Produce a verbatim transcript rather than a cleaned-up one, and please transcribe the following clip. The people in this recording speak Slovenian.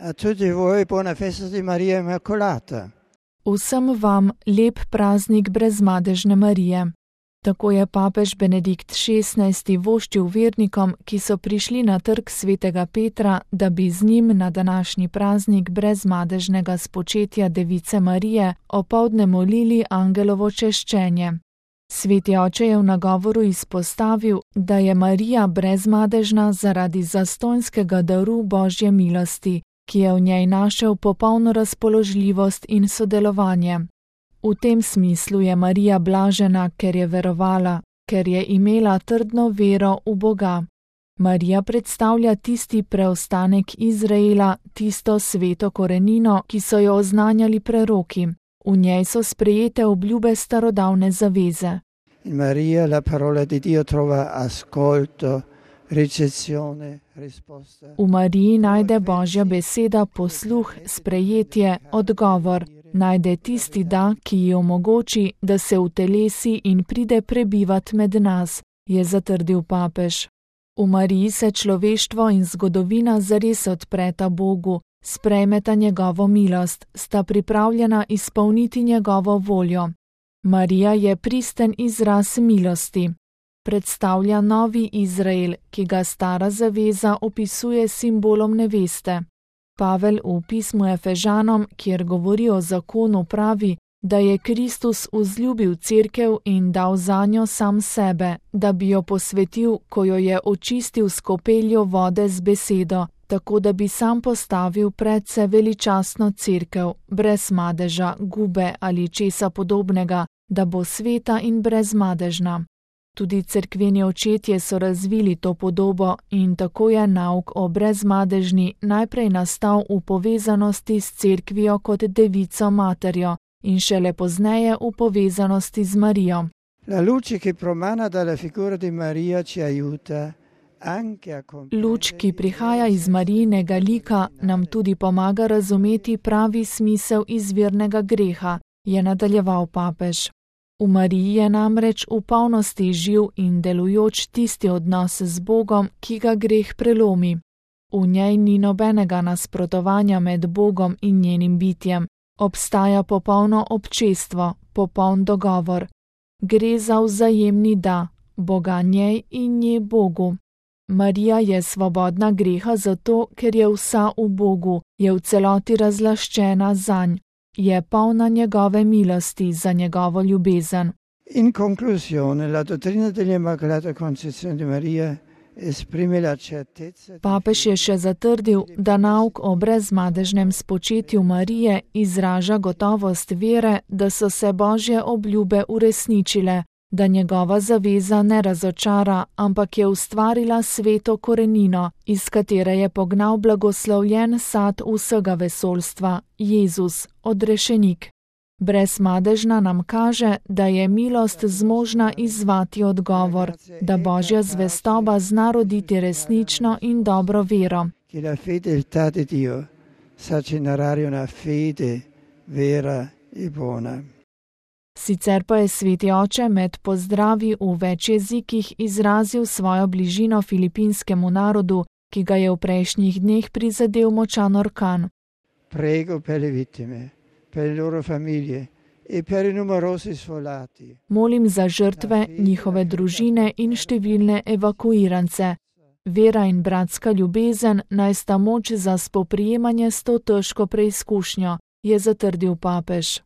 A tutti voi buona festa di Maria Immacolata. Vsem vam lep praznik brezmadežne Marije. Tako je papež Benedikt šestnajsti voščil vernikom, ki so prišli na trg svetega Petra, da bi z njim na današnji praznik brezmadežnega spočetja Device Marije opoldne molili angelovo češčenje. Sveti oče je v nagovoru izpostavil, da je Marija brezmadežna zaradi zastonjskega daru Božje milosti, ki je v njej našel popolno razpoložljivost in sodelovanje. V tem smislu je Marija blažena, ker je verovala, ker je imela trdno vero v Boga. Marija predstavlja tisti preostanek Izraela, tisto sveto korenino, ki so jo oznanjali preroki. V njej so sprejete obljube starodavne zaveze. In Maria la parola di Dio trova ascolto, ricezione, risposta. V Mariji najde Božja beseda posluh, sprejetje, odgovor. Najde tisti da, ki ji omogoči, da se utelesi in pride prebivat med nas, je zatrdil papež. V Mariji se človeštvo in zgodovina zares odpreta Bogu, sprejmeta njegovo milost, sta pripravljena izpolniti njegovo voljo. Marija je pristen izraz milosti. Predstavlja novi Izrael, ki ga stara zaveza opisuje simbolom neveste. Pavel v pismu Efežanom, kjer govori o zakonu, pravi, da je Kristus vzljubil cerkev in dal zanjo sam sebe, da bi jo posvetil, ko jo je očistil s kopeljo vode z besedo, tako da bi sam postavil predse veličastno cerkev, brez madeža, gube ali česa podobnega, da bo sveta in brezmadežna. Tudi cerkveni očetje so razvili to podobo in tako je nauk o brezmadežni najprej nastal v povezanosti s cerkvijo kot devico materjo in šele pozneje v povezanosti z Marijo. La luce che promana dalla figura di Maria ci aiuta anche a comprendere. Luč, ki prihaja iz Marijinega lika, nam tudi pomaga razumeti pravi smisel izvirnega greha, je nadaljeval papež. V Mariji je namreč v polnosti živ in delujoč tisti odnos z Bogom, ki ga greh prelomi. V njej ni nobenega nasprotovanja med Bogom in njenim bitjem. Obstaja popolno občestvo, popoln dogovor. Gre za vzajemni da, Boga njej in nje Bogu. Marija je svobodna greha zato, ker je vsa v Bogu, je v celoti razlaščena zanj. Je polna njegove milosti za njegovo ljubezen. In conclusione, la dottrina dell'Immacolata Concezione di Maria esprime la certezza. Papež je še zatrdil, da nauk o brezmadežnem spočetju Marije izraža gotovost vere, da so se Božje obljube uresničile, da njegova zaveza ne razočara, ampak je ustvarila sveto korenino, iz katere je pognal blagoslovljen sad vsega vesoljstva, Jezus, odrešenik. Brezmadežna nam kaže, da je milost zmožna izzvati odgovor, da Božja zvestoba zna roditi resnično in dobro vero. Che la fedeltà di Dio sa generare una fede vera e buona. Sicer pa je sveti oče med pozdravi v več jezikih izrazil svojo bližino filipinskemu narodu, ki ga je v prejšnjih dneh prizadel močan orkan. Prego per le vittime, per le loro famiglie e per i numerosi sfolati. Molim za žrtve, njihove družine in številne evakuirance. Vera in bratska ljubezen naj sta moč za spoprijemanje s to težko preizkušnjo, je zatrdil papež.